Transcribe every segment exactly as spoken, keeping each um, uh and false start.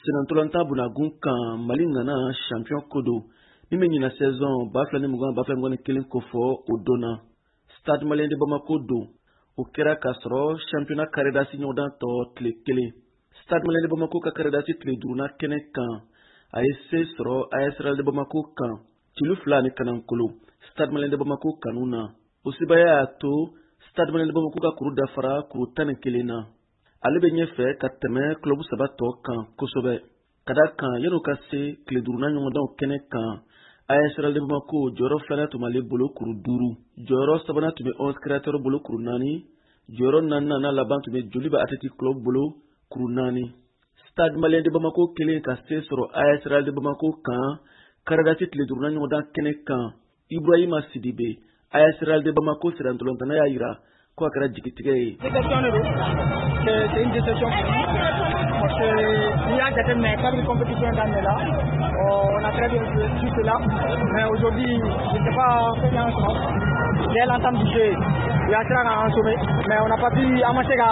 Senantolantan bunagun kan, Mali nana champion ko don min bɛ ɲina saison ba fila ni mugan, ba fila mugan ni kelen kofɔ, o donna Stade Malien de Bamako don. O kɛra k'a sɔrɔ championnat carré d'as ɲɔgɔndan tɔ tile kelen. Stade Malien de Bamako ka carré d'as tile duurunan kɛnɛ kan, a ye se sɔrɔ A S Real de Bamako kan celu fila ni kanankolo. Stade Malien de Bamako kanu na, o sebaya y'a to Stade Malien de Bamako ka kuru dafara kuru tan ni kelen na. Ale bɛ ɲɛfɛ ka tɛmɛ club saba tɔ kan kosɛbɛ, ka da kan yan'o ka se tile duurunan ɲɔgɔndanw kɛnɛ kan, A S Real de Bamako jɔyɔrɔ filanan tun b'ale bolo kuru duuru, jɔyɔrɔ sabanan tun bɛ Onze Créateurs bolo kuru naani, jɔyɔrɔ naaninan n'a laban tun bɛ Joliba Athletic Club bolo kuru naani. Stade Malien de Bamako kelen ka se sɔrɔ A S Real de Bamako kan carré d'as tile duurunan ɲɔgɔndan kɛnɛ kan, Ibrahima Sidibe, A S Real de Bamako sirantolantana, y'a yira ko a kɛra jigitigɛ ye. Déception de don, c'est une déception parce que n'i y'a jateminɛ, kabini compétition daminɛ la, on a très bien joué jusque là, mais aujourd'hui, je ne sais pas fɛn y'an sɔrɔ. Dès l'entame du jeu, u y'a sera k'an sauver, mais on n'a pas pu, an ma se ka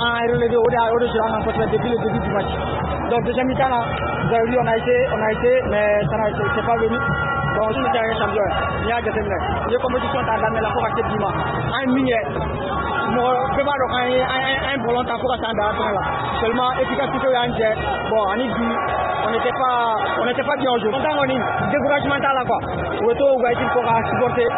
an relever. O de o de sɔrɔ an kan kosɛbɛ depuis le début du match. Donc deuxième mi-temps là, vous avez vu, on a essayé, on a essayé, mais ça n'a c'est pas venu. Donc si c'est un champion, n'i y'a jateminɛ, i ye compétition ta daminɛ la fo ka se bi ma, an ye min kɛ, mɔgɔ bɛɛ b'a dɔn k'an ye an ye ballon ta fo ka s'an dan fɛnɛ la. Seulement efficacité y'an jɛ. Bon, ani bi, on n'était pas on n'était pas bien aujourd'hui. Content kɔni, découragement t'a la quoi. U bɛ to u ka équipe kɔ ka supporter.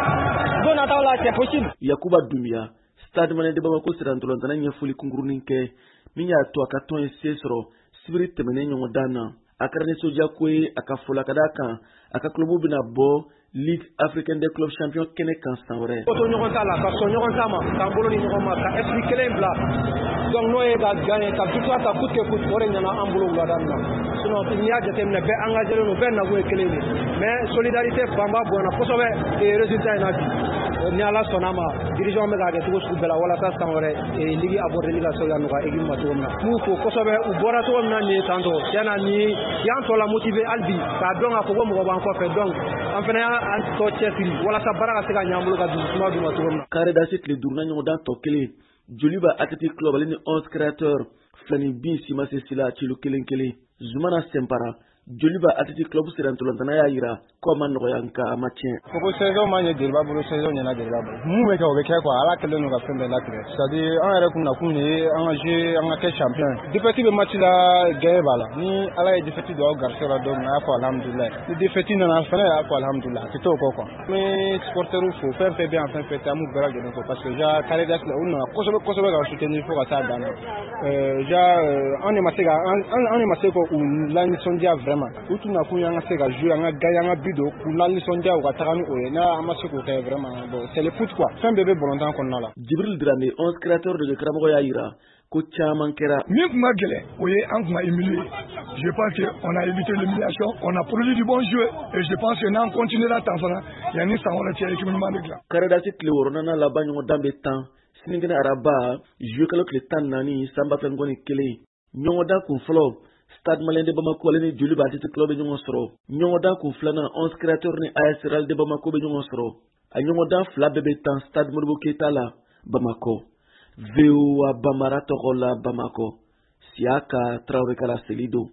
Don nataw la, c'est possible. Yakuba Dumbuya, Stade Malien de Bamako sirantolantana, ɲɛfɔli kunkurunin kɛ min y'a to a ka tɔn ye se sɔrɔ sibiri tɛmɛnen ɲɔgɔndan na. A kɛra nisɔndiyako ye a ka fɔ la, ka d'a kan a ka club bɛna bɔ Ligue africaine des clubs champions kɛnɛ kan san wɛrɛ. Ko to ɲɔgɔn ta la, ka sɔn ɲɔgɔn ta ma, k'an bolo ni ɲɔgɔn ma, ka esprit kelen bila. Donc n'o ye ka gagner, ka victoire ta coûte que coûte, o de ɲɛna an bolo wulada in na. Sinon n'i y'a jateminɛ, bɛɛ engagé don, bɛɛ nakun ye kelen de, mais solidarité fanba bonyana kosɛbɛ et résultat in na bi, ni Ala sɔnna ma, dirigeant bɛ k'a kɛ cogo sugu bɛɛ la walasa san wɛrɛ ligue abordeli ka se ka nɔgɔya équipe ma cogo min na. N b'u fo kosɛbɛ, u bɔra cogo min na nin ye tantɔ, tiɲɛ na nin y'an tɔ la motiver hali bi k'a dɔn k'a fɔ ko mɔgɔ b'an kɔfɛ. Donc an fana y'an tɔ cɛsiri walasa baara ka se ka ɲɛ an bolo, ka dusu suma d'u ma cogo min na. Carré d'as tile duurunan ɲɔgɔndan tɔ kelen, Joliba Athletic Club ale ni Onze Créateurs filani bin si ma se si la, celu kelen kelen. Zumana Sɛnpara, Joliba Athletic Club sirantolantana, y'a yira ko a ma nɔgɔya, nka a ma tiɲɛ. Fo ko saison ma ɲɛ Joliba bolo, saison ɲɛna Joliba bolo. Mun bɛ kɛ, o bɛ kɛ quoi. Ala kɛlen don ka fɛn bɛɛ latigɛ, c'est à dire an yɛrɛ kun nakun de ye an ka jouer, an ka kɛ champion ye. Défaite bɛ match la, gagné b'a la. Ni Ala ye défaite don aw garisɛgɛ la don min na, a y'a fɔ alhamdulilayi. Ni défaite nana fɛnɛ, a y'a fɔ alhamdulilayi, a tɛ t'o kɔ quoi. N bɛ supporters fo, fɛn fɛn bɛ yan, fɛn fɛn tɛ, an b'u bɛɛ lajɛlen fo parce que déjà carré d'as la, u nana kosɛbɛ kosɛbɛ ka soutenir fo ka taa dan na. Déjà an de ma se ka an de ma se k'u lanisɔndiya vraiment. U tun nakun ye an ka se ka jouer, an ka gagner, an ka but don, k'u lanisɔndiya, u ka taga ni o ye. N'a an ma se k'o kɛ vraiment, bon, c'est le foot quoi, fɛn bɛɛ bɛ balontan kɔnɔna la. Jibril Drame, Onze Créateurs de karamɔgɔ, y'a yira ko caman kɛra. Min tun ka gɛlɛn, o ye an tun ka humilier. Je pense que on a évité l'humiliation, on a produit du bon jeu et je pense que n'an continuera tan fana, yanni san wɛrɛ cɛ, équipe ɲuman bɛ dilan. Carré d'as tile wɔɔrɔnan laban ɲɔgɔndan bɛ tan sinikɛnɛ araba, juillet kalo tile tan naani san ba fila mugan ni kelen. Ɲɔgɔndan kun fɔlɔ, Stade Malien de Bamako ale ni Joliba Athletic Club bɛ ɲɔgɔn sɔrɔ. Ɲɔgɔndan kun filanan, Onze Créateurs ni A S Real de Bamako bɛ ɲɔgɔn sɔrɔ. A ɲɔgɔndan fila bɛɛ bɛ tan Stade Modibo Keyita la Bamakɔ. V O A Bambara tɔgɔ la Bamakɔ, Siyaka Tarawele ka laseli don.